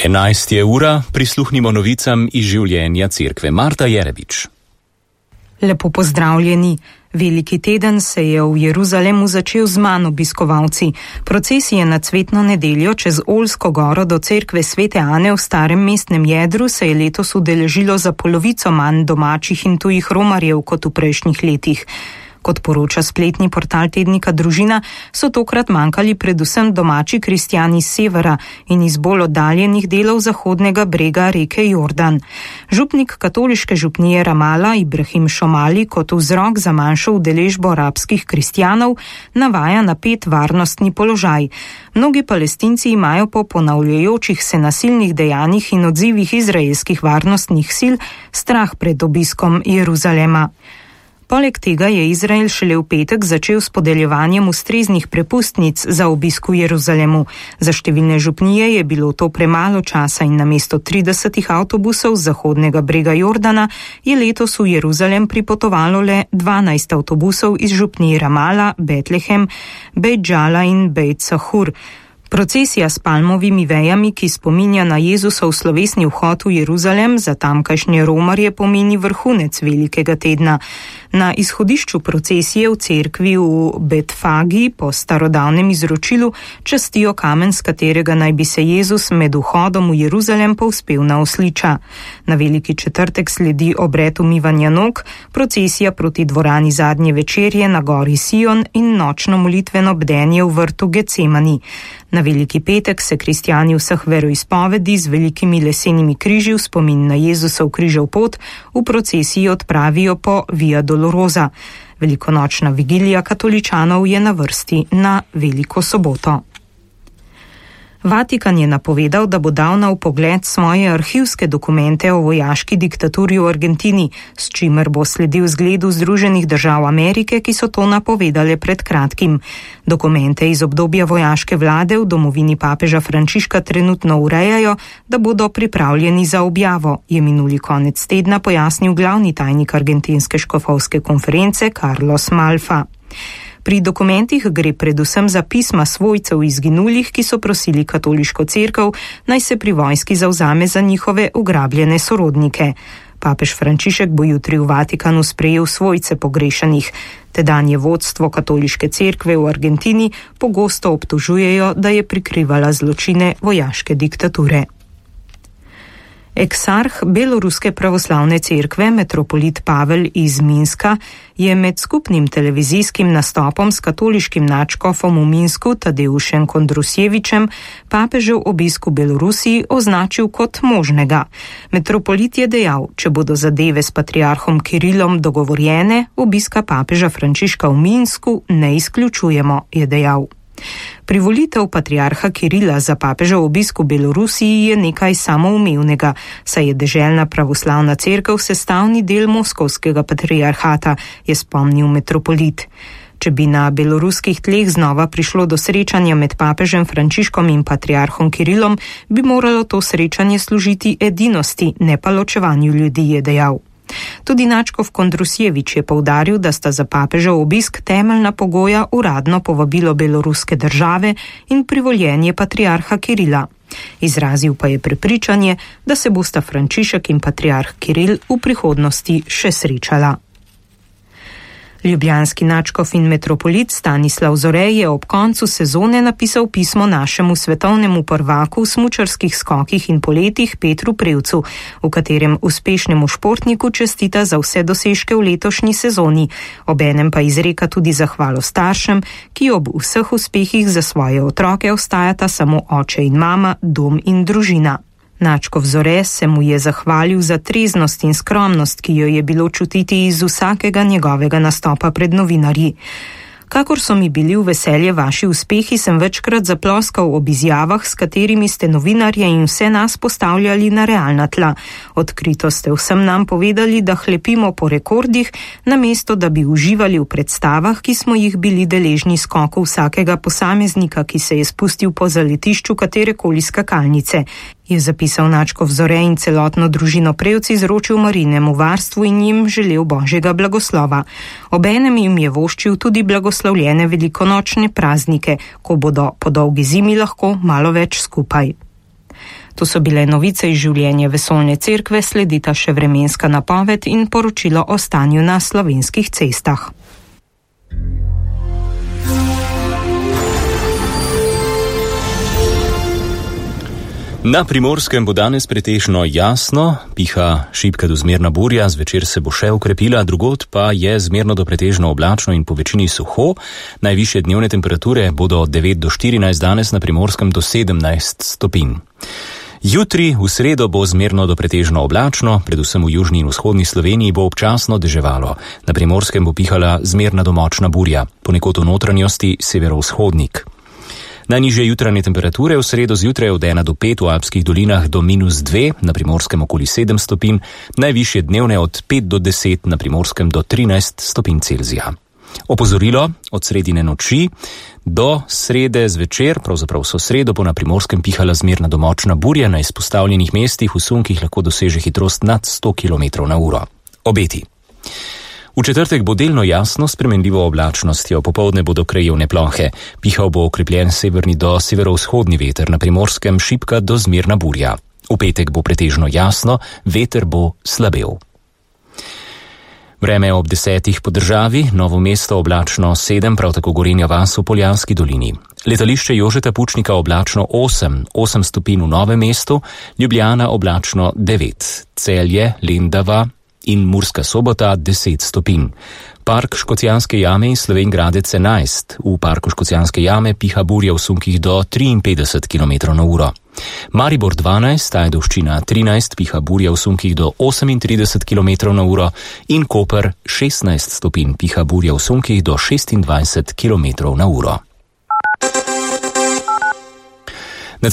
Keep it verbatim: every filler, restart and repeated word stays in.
enajst je ura, prisluhnimo novicam iz življenja cerkve. Marta Jerebič. Lepo pozdravljeni. Veliki teden se je v Jeruzalemu začel z manj obiskovalci. Procesije na cvetno nedeljo čez Oljsko goro do cerkve Svete Ane v starem mestnem jedru se je letos udeležilo za polovico manj domačih in tujih romarjev kot v prejšnjih letih. Kot poroča spletni portal tednika Družina, so tokrat manjkali predvsem domači kristjani z severa in iz bolj oddaljenih delov zahodnega brega reke Jordan. Župnik katoliške župnije Ramala Ibrahim Šomali kot vzrok za manjšo udeležbo arabskih kristjanov navaja napet varnostni položaj. Mnogi Palestinci imajo po ponavljajočih se nasilnih dejanjih in odzivih izraelskih varnostnih sil strah pred obiskom Jeruzalema. Poleg tega je Izrael šele v petek začel s podeljevanjem ustreznih prepustnic za obisk v Jeruzalemu. Za številne župnije je bilo to premalo časa in namesto tridesetih avtobusov z zahodnega brega Jordana je letos v Jeruzalem pripotovalo le dvanajst avtobusov iz župnij Ramala, Betlehem, Bejt Džala in Bejt Sahur. Procesija s palmovimi vejami, ki spominja na Jezusov slovesni vhod v Jeruzalem, za tamkajšnje romarje pomeni vrhunec velikega tedna. Na izhodišču procesije v cerkvi v Betfagi po starodavnem izročilu častijo kamen, s katerega naj bi se Jezus med vhodom v Jeruzalem povzpel na osliča. Na veliki četrtek sledi obred umivanja nog, procesija proti dvorani zadnje večerje na gori Sion in nočno molitveno bdenje v vrtu Gecemani. Na veliki petek se kristjani vseh veroizpovedi z velikimi lesenimi križi v spomin na Jezusov križev pot v procesiji odpravijo po Via Dolorosa. Velikonočna vigilija katoličanov je na vrsti na Veliko soboto. Vatikan je napovedal, da bo dal na vpogled svoje arhivske dokumente o vojaški diktaturi v Argentini, s čimer bo sledil zgledu Združenih držav Amerike, ki so to napovedale pred kratkim. Dokumente iz obdobja vojaške vlade v domovini papeža Frančiška trenutno urejajo, da bodo pripravljeni za objavo, je minuli konec tedna pojasnil glavni tajnik argentinske škofovske konference Carlos Malfa. Pri dokumentih gre predvsem za pisma svojcev izginulih, ki so prosili katoliško cerkev, naj se pri vojski zavzame za njihove ugrabljene sorodnike. Papež Frančišek bo jutri v Vatikanu sprejel svojce pogrešanih. Tedanje vodstvo katoliške cerkve v Argentini pogosto obtožujejo, da je prikrivala zločine vojaške diktature. Eksarh beloruske pravoslavne cerkve, metropolit Pavel iz Minska, je med skupnim televizijskim nastopom s katoliškim nadškofom v Minsku Tadeušem Kondrusjevičem papežev obisk v Belorusiji označil kot možnega. Metropolit je dejal, če bodo zadeve s patriarhom Kirilom dogovorjene, obiska papeža Frančiška v Minsku ne izključujemo, je dejal. Privolitev patriarha Kirila za papežev obisk v Belorusiji je nekaj samoumevnega, saj je deželna pravoslavna cerkev sestavni del moskovskega patriarhata, je spomnil metropolit. Če bi na beloruskih tleh znova prišlo do srečanja med papežem Frančiškom in patriarhom Kirilom, bi moralo to srečanje služiti edinosti, ne pa ločevanju ljudi, je dejal. Tudi nadškof Kondrusjevič je poudaril, da sta za papežev obisk temeljna pogoja uradno povabilo beloruske države in privoljenje patriarha Kirila. Izrazil pa je prepričanje, da se bosta Frančišek in patriarh Kiril v prihodnosti še srečala. Ljubljanski nadškof in metropolit Stanislav Zore je ob koncu sezone napisal pismo našemu svetovnemu prvaku v smučarskih skokih in poletih Petru Prevcu, v katerem uspešnemu športniku čestita za vse dosežke v letošnji sezoni, obenem pa izreka tudi zahvalo staršem, ki ob vseh uspehih za svoje otroke ostajata samo oče in mama, dom in družina. Nadškof Zore se mu je zahvalil za treznost in skromnost, ki jo je bilo čutiti iz vsakega njegovega nastopa pred novinarji. Kakor so mi bili v veselje vaši uspehi, sem večkrat zaploskal ob izjavah, s katerimi ste novinarje in vse nas postavljali na realna tla. Odkrito ste vsem nam povedali, da hlepimo po rekordih, namesto da bi uživali v predstavah, ki smo jih bili deležni skoku vsakega posameznika, ki se je spustil po zaletišču katerekoli skakalnice, je zapisal nadškof Zore in celotno družino Prevc izročil Marinemu varstvu in jim želel božjega blagoslova. Obenem jim je voščil tudi blagoslovljene velikonočne praznike, ko bodo po dolgi zimi lahko malo več skupaj. To so bile novice iz življenja vesoljne cerkve, sledita še vremenska napoved in poročilo o stanju na slovenskih cestah. Na Primorskem bo danes pretežno jasno, piha šibka do zmerna burja, zvečer se bo še okrepila, drugod pa je zmerno do pretežno oblačno in po večini suho. Najvišje dnevne temperature bodo od devet do štirinajst, danes na Primorskem do sedemnajst stopinj. Jutri v sredo bo zmerno do pretežno oblačno, predvsem v južni in vzhodni Sloveniji bo občasno deževalo. Na Primorskem bo pihala zmerna do močna burja, ponekod v notranjosti severovzhodnik. Najnižje jutranje temperature v sredo zjutraj od ena do pet, v alpskih dolinah do minus dve, na Primorskem okoli sedem stopinj, najvišje dnevne od pet do deset, na Primorskem do trinajst stopinj Celzija. Opozorilo, od sredine noči do srede zvečer, pravzaprav so sredo, bo na Primorskem pihala zmerna do močna burja, na izpostavljenih mestih v sunkih lahko doseže hitrost nad sto kilometrov na uro. Obeti. V četrtek bo delno jasno, spremenljivo oblačnostjo, popoldne bodo krajevne plohe. Pihal bo okrepljen severni do severovzhodni veter, na Primorskem šibka do zmerna burja. V petek bo pretežno jasno, veter bo slabel. Vreme ob desetih po državi, Novo mesto oblačno sedem, prav tako Gorenja vas v Poljanski dolini. Letališče Jožeta Pučnika oblačno osem, osem stopinj v Novem mestu, Ljubljana oblačno devet, Celje, Lendava in Murska Sobota deset stopinj. Park Škocjanske jame in Slovenj Gradec enajst. V parku Škocjanske jame piha burja v sunkih do triinpetdeset kilometrov na uro. Maribor dvanajst, Ajdovščina trinajst, piha burja v sunkih do osemintrideset kilometrov na uro in Koper šestnajst stopinj, piha burja v sunkih do šestindvajset kilometrov na uro.